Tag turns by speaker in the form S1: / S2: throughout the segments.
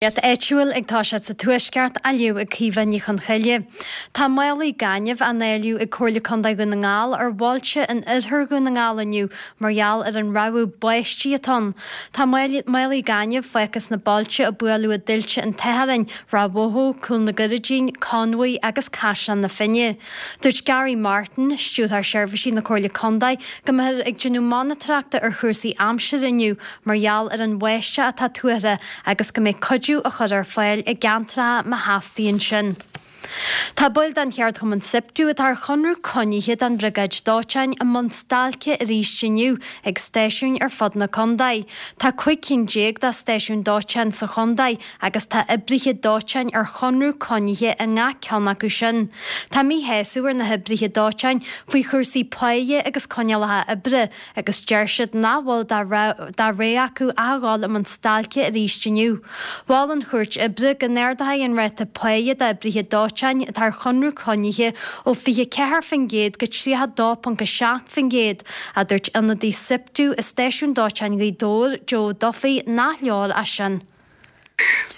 S1: Nuacht áitiúil ag toiseacht sa Tuaisceart á léamh ag Caoimhe Ní Chonchoille. Tá málaí gainimh á ndáileadh ag Comhairle Contae Dhún na nGall ar bhailte in oirthear Dhún na nGall inniu mar gheall ar an rabhadh báistí atá ann. Tá málaí gainimh fágtha sna bailte a buaileadh i dtuilte an tSathairn, Ráth Bhoth, Cúil na gCurraidín, Conmhaigh agus Caisleán na Finne. Dúirt Gary Martin, Stiúrthóir Seirbhísí na Comhairle Contae, go mbeifear ag déanamh monatóireachta ar chúrsaí aimsire inniu mar gheall ar an bháisteach atá tuartha agus go mbeidh cuidiú á chur ar fáil i gceantracha má theastaíonn sin. Tá baill den cheardchumann Siptu atá ar chonradh coinnithe don bhriogáid dóiteáin i mbun stailce arís inniu ag stáisiúin ar fud na contae. Tá 15 cinn de stáisiúin dóiteáin sa chontae agus tá oibrithe dóiteáin ar chonradh coinnithe i ngach ceann acu sin. Tá míshásamh ar na hoibrithe dóiteáin faoi chúrsaí páighe agus coinníollacha oibre agus deir siad nach bhfuil de rogha acu ach a dhul i mbun stailce arís inniu. Mhol an Chúirt Oibre go n-ardófaí an ráta páighe d'oibrithe dóiteáin atá ar chonradh coinnithe ó 24% go 32.7%, ach dúirt ionadaí Siptu i stáisiún dóiteáin Ghaoth Dobhair, Joe Duffy, nach leor é sin.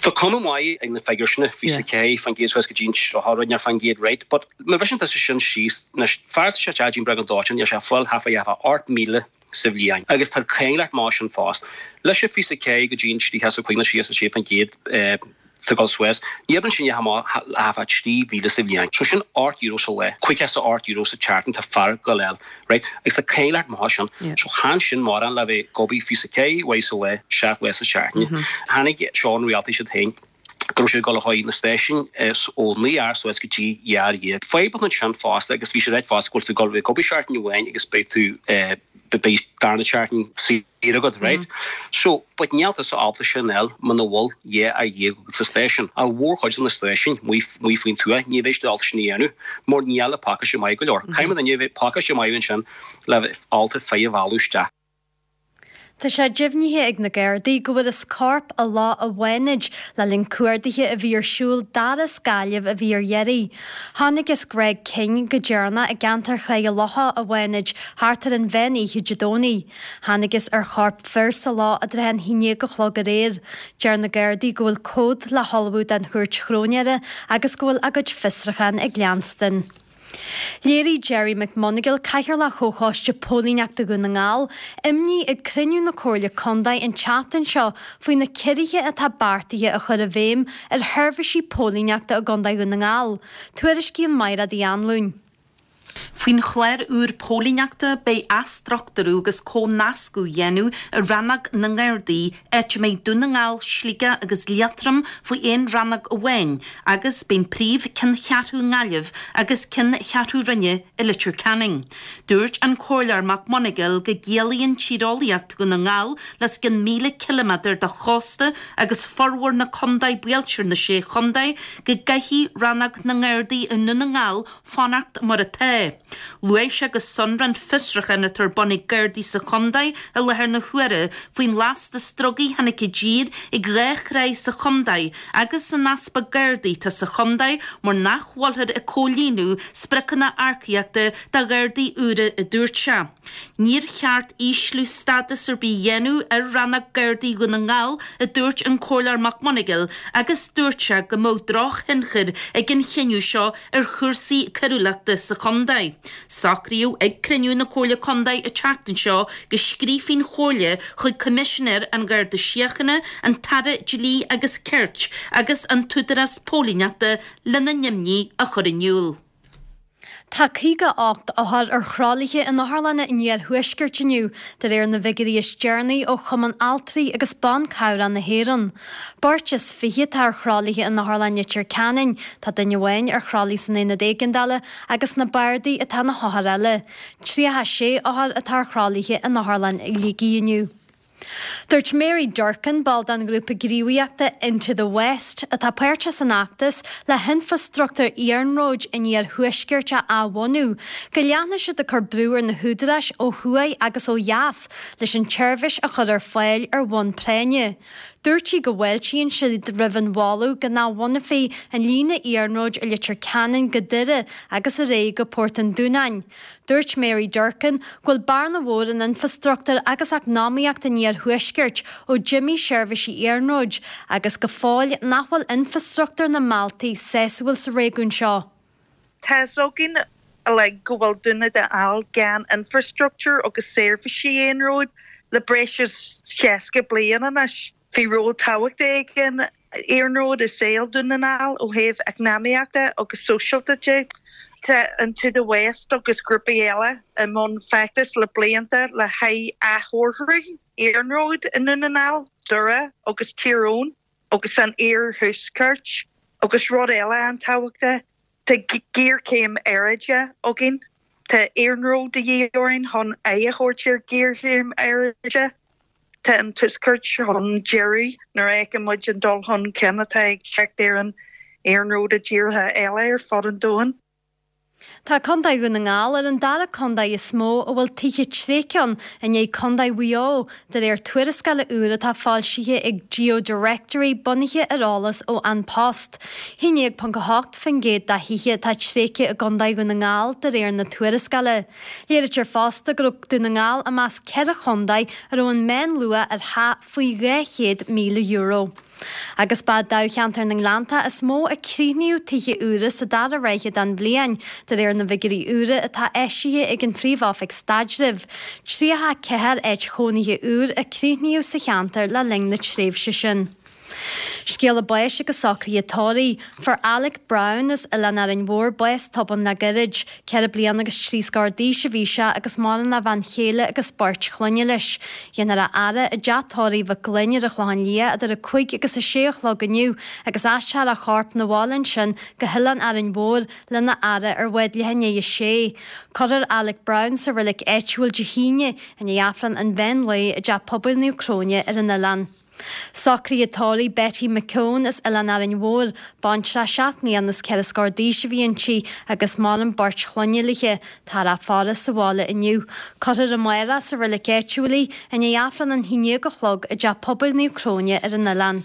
S2: Tá cuma maith ag na figiúir sin, 24% suas go dtí an 30% right, but má bhriseann tusa sin síos, anois, fear atá sé ag obair don dóiteán, níl sé ag fáil half a half a 8,000 sa bhliain agus tá cainglert maith sin fosta. Leis an 24 go dtí an 35 nó 36% tá dul suas, ní oibreann sin amach half a 3,000 sa bhliain. So sin €8 sa lá, €58 sa tseachtain tá fear ag dul fháil. Right? Agus tá cainglert maith sin. So chan sin mórán le bheith ag obair 24 uair sa lá, 7 lá sa tseachtain. Tháinig seo an rialtais iad féin go raibh siad ag dul a chur na stáisiúin ó 9 uair suas go dtí 12. Fadhb ansin fosta agus bhí siad ag ráit fosta go bhfuil tú ag dul a bheith ag obair seachtain amháin agus beidh tú beidh darna seachtain saor. agat, right? So, but níl tusa ábalta sin a fháil muna bhfuil 12 fhear agat sa stáisiún. An mhórchuid de na stáisiúin amuigh faoin tuath, ní bheidh siad ábalta sin a dhéanamh mar níl an pacáiste maith go leor. Caithfidh duine a bheith pacáiste maith ansin le bheith ábalta fir a mhealladh isteach.
S1: Tá sé deimhnithe ag na Gardaí go bhfuarthas corp i Loch an Bhánaid le linn cuardaithe a bhí ar siúl d'fhear as Gaillimh a bhí ar iarraidh. Chonacthas Greg King go deireanach i gceantar Chraige Locha, an Bhánaid, thart ar an mheán oíche Dé Domhnaigh. Thángthas ar chorp fir sa loch i dtrátha an haon déag a chlog aréir. Deir na Gardaí go bhfuil comhad le hullmhú don chúirt chróinéara agus go bhfuil a gcuid fiosrachán ag leanstan. Léirigh Gerry McMonagle, Cathaoirleach Chomhchoiste Póilíneachta Dhún na nGall, imní ag cruinniú na Comhairle Contae an tseachtain seo faoi na ciorruithe atá beartaithe a chur i bhfeidhm ar sheirbhísí póilíneachta i gContae Dhún na nGall. Tuairiscíonn Mairéad Uí Anluain.
S3: Faoin chlár úr póilíneachta, beidh athstruchtúrú agus comhnascadh á dhéanamh i Rannóg na nGardaí, áit a mbeidh Dún na nGall, Sligeach agus Liatroim faoi aon rannóg amháin, agus beidh an príomh-cheanncheathrú i nGaillimh agus ceanncheathrú roinne i Leitir Ceanainn. Dúirt an Comhairleoir Mac Monagail go gciallaíonn tíreolaíocht Dhún na nGall le os cionn 1,000 ciliméadar de chósta agus formhór na contaetha buailte ar na Sé Chontae go gcaithfidh Rannóg na nGardaí i nDún na nGall fanacht mar atá. Luaigh sé go sonrath an fiosrúchán atá ar bun ag Gardaí sa chontae i láthair na huaire faoin lastas drugaí a tháinig i dtír ag dhá thráigh sa chontae agus an easpa Gardaí atá sa chontae mar nach bhfuilthear ag comhlíonadh spriocanna earcaíochta do Ghardaí úra a dúirt sé. Níor cheart ísliú stádas ar bith a dhéanamh ar Rannóg Gardaí Dhún na nGall, a dúirt an Comhairleoir Mac Monagail agus dúirt sé go mbeadh drochthionchar ag an chinneadh seo ar chúrsaí coiriúlachta sa chontae. Socraíodh ag cruinniú na Comhairle Contae an tseachtain seo go scríobfaidh an Chomhairle chuig Coimisinéir an Gharda Síochána, an tAire Dlí agus Cirt agus an tÚdarás Póilíneachta lena n-imní a chur in iúl.
S1: Tá 58 othar ar thralaithe in otharlanna an iarthuaiscirt inniu, de réir na bhfigiúirí is deireanaí ó Chumann Altraí agus Ban Cabhrach na hÉireann. Beirt is fiche atá ar thralaithe in Otharlann Leitir Ceanainn, tá duine amháin ar thralaí san Aonad Éigeandála agus sna bardaí atá na hothair eile. 36 othar atá ar thralaithe in Otharlann Shligigh inniu. Dúirt Mary Durkan, ball den ghrúpa gníomhaíochta Into the West, atá páirteach san fheachtas le hinfreastruchtúr iarnróid an iarthuaiscirt a athbhunú, go leanfaidh siad ag cur brú ar na húdaráis ó thuaidh agus ó dheas leis an tseirbhís a chur ar fáil ar bhonn práinne. Dúirt sí go bhfáiltíonn siad roimh an mholadh go n-athbhunófaí an líne iarnróid ó Leitir Ceanainn go Doire agus ar aghaidh go Port an Dúnáin. Dúirt Mary Durkan go bhfuil bearna mhór in infreastruchtúr agus eacnamaíocht an iarthuaiscirt ó d'imigh seirbhísí iarnróid agus go fóill nach bhfuil infreastruchtúr na mbealtaí sásúil sa réigiún seo.
S4: Tá fhios againn uilig go bhfuil Dún na nGall gan infreastruchtúr agus seirbhísí iarnróid le breis is 60 bliain anois. Bhí ról tábhachtach ag an iarnród i saol Dún na nGall ó thaobh eacnamaíochta agus sóisialta de. Tá an To The West agus grúpaí eile i mbun feachtais le blianta le haghaidh athchóiriú iarnróid i nDún na nGall, Doire agus Tír Eoghain agus san iarthuaisceart. Agus rud eile an-tábhachtach, tá géarchéim aeráide againn. Tá iarnród de dhíth orainn chun aghaidh a thabhairt ar ghéarchéim aeráide. Tá an Tuaisceart chun deiridh nuair a fheiceann muid an dul chun cinn atá ag teacht ar an iarnród i dtíortha eile ar fud an domhain.
S1: Tá Contae Dhún na nGall ar an dara contae is mó a bhfuil tithe tréigthe ann, i ndiaidh Contae Mhaigh Eo, de réir tuarascála úr atá foilsithe ag GeoDirectory bunaithe ar eolas ó An Post. 11.8% de thithe atá tréigthe i gContae Dhún na nGall de réir na tuarascála. Léirítear fosta go raibh Dún na nGall i measc 4 chontae a raibh an meánluach ar theach faoi €200,000. Agus ba i dtoghcheantar na nGleannta is mó a críochnaíodh tithe úra sa dara ráithe den bhliain, de réir na bhfigiúirí úra atá eisithe ag an Phríomh-Oifig Staidrimh. 34 áit chónaithe úr a críochnaíodh sa cheantar le linn na tréimhse sin. Scéala báis agus socruithe tórraimh. Fuair Alec Brown as Oileán Árainn Mhór bás tobann le gairid. Ceithre bliana agus trí scór d'aois a bhí sé agus maireann a bhean chéile agus beirt chlainne leis. Dhéanfar a fhaire i dteach tórraimh Mhic Gloinn ar an Chlochán Liath idir 5 agus 6 a chlog inniu agus aistreofar a chorp 'na bhaile ansin go hOileán Árainn Mhór lena fhaire ar bhád leath i ndiaidh a sé. Cuirfear Alec Brown sa reilig áitiúil Dé hAoine i ndiaidh Aifreann an mheán lae i dTeach Pobail Naomh Cróine ar an oileán. Socruithe tórraimh Betty McKeown as Oileán Árainn Mhór, baintreach 7 mbliana is 4 scór d'aois a bhí inti agus maireann beirt chlainne léi. Táthar á faire sa bhaile inniu. Cuirfear amárach sa reilig áitiúil í, i ndiaidh Aifreann an 11 a chlog i dTeach Pobail Naomh Cróine ar an oileán.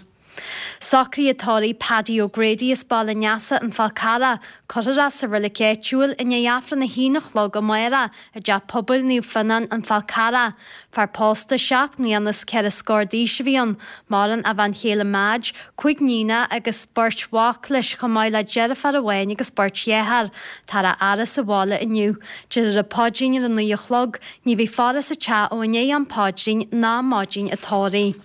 S1: Socruithe tórraimh Paddy O'Grady as Baile an Easa, An Fál Carrach, Cuirfear é sa reilig áitiúil i ndiaidh Aifreann a haon a chlog amárach i dTeach Pobail Naomh Fionnán, An Fál Carrach. Fear pósta 7 mbliana is 4 scór d'aois a bhí ann. Maireann a bhean chéile Madge, 5 níonacha agus beirt mhac leis chomh maith le deirfiúr amháin agus beirt dhearthár. Táthar á fhaire sa bhaile inniu. Déarfar an paidrín ar a 9 a chlog. Ní bheidh faire sa teach ó i ndiaidh am paidrín ná maidin an tórraimh.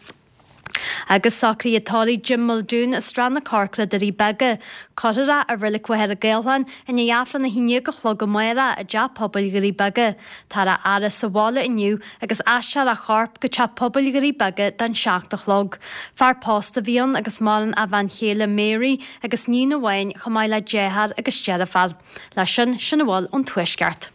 S1: Agus socruithe tórraimh Jim Muldoon as Srath na Corcra, Doirí Beaga. Cuirfear é i Reilig Mhachaire Gathlán i ndiaidh Aifreann 11 a chlog amárach i dTeach Pobail Dhoirí Beaga. Táthar á fhaire sa bhaile inniu agus aistreofar a chorp go Teach Pobail Dhoirí Beaga don 7 a chlog. Fear pósta a bhí ann agus maireann a bhean chéile Mary agus níon amháin chomh maith le deartháir agus deirfiúr. Leis sin, sin a bhfuil ón Tuaisceart.